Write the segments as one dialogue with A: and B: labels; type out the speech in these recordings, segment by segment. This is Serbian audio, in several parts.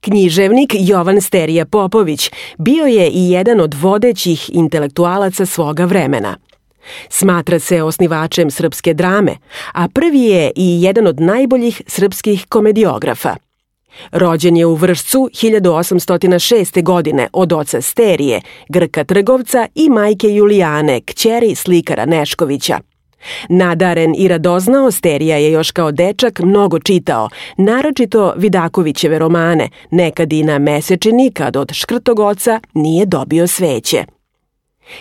A: Književnik Jovan Sterija Popović bio je i jedan od vodećih intelektualaca svoga vremena. Smatra se osnivačem srpske drame, a prvi je i jedan od najboljih srpskih komediografa. Rođen je u Vršcu 1806. godine od oca Sterije, Grka trgovca i majke Julijane, kćeri slikara Neškovića. Nadaren i radoznao, Sterija je još kao dečak mnogo čitao, naročito Vidakovićeve romane, nekad i na mesečini kad od škrtog oca nije dobio sveće.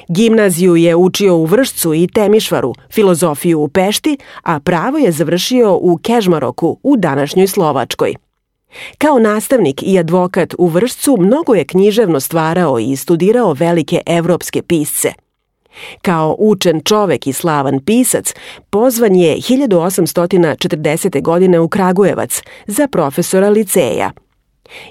A: Gimnaziju je učio u Vršcu i Temišvaru, filozofiju u Pešti, a pravo je završio u Kežmaroku u današnjoj Slovačkoj. Kao nastavnik i advokat u Vršcu mnogo je književno stvarao i studirao velike evropske pisce. Kao učen čovek i slavan pisac, pozvan je 1840. godine u Kragujevac za profesora liceja.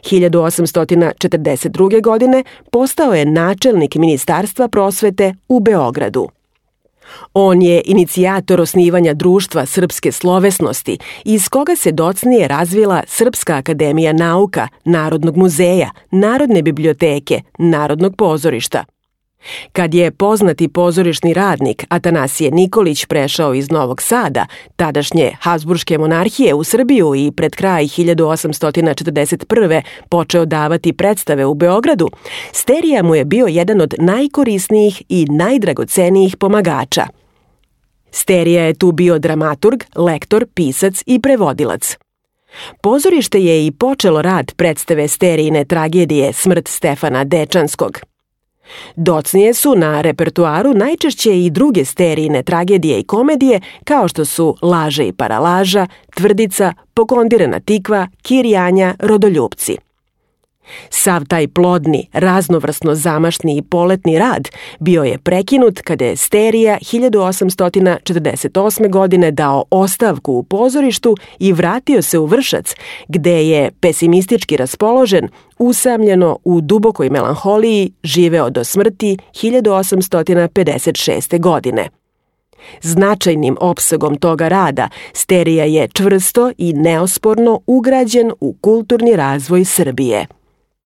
A: 1842. godine postao je načelnik Ministarstva prosvete u Beogradu. On je inicijator osnivanja Društva srpske slovesnosti, iz koga se docnije razvila Srpska akademija nauka, Narodnog muzeja, Narodne biblioteke, Narodnog pozorišta. Kad je poznati pozorišni radnik Atanasije Nikolić prešao iz Novog Sada, tadašnje Habsburške monarhije, u Srbiju i pred kraj 1841. počeo davati predstave u Beogradu, Sterija mu je bio jedan od najkorisnijih i najdragocenijih pomagača. Sterija je tu bio dramaturg, lektor, pisac i prevodilac. Pozorište je i počelo rad predstave Sterijine tragedije Smrt Stefana Dečanskog. Docnije su na repertuaru najčešće i druge Sterijine tragedije i komedije, kao što su Laža i paralaža, Tvrdica, Pokondirana tikva, Kirjanja, Rodoljupci. Sav taj plodni, raznovrsno zamašni i poletni rad bio je prekinut kada je Sterija 1848. godine dao ostavku u pozorištu i vratio se u Vršac, gde je, pesimistički raspoložen, usamljeno u dubokoj melanholiji živeo do smrti 1856. godine. Značajnim opsegom toga rada Sterija je čvrsto i neosporno ugrađen u kulturni razvoj Srbije.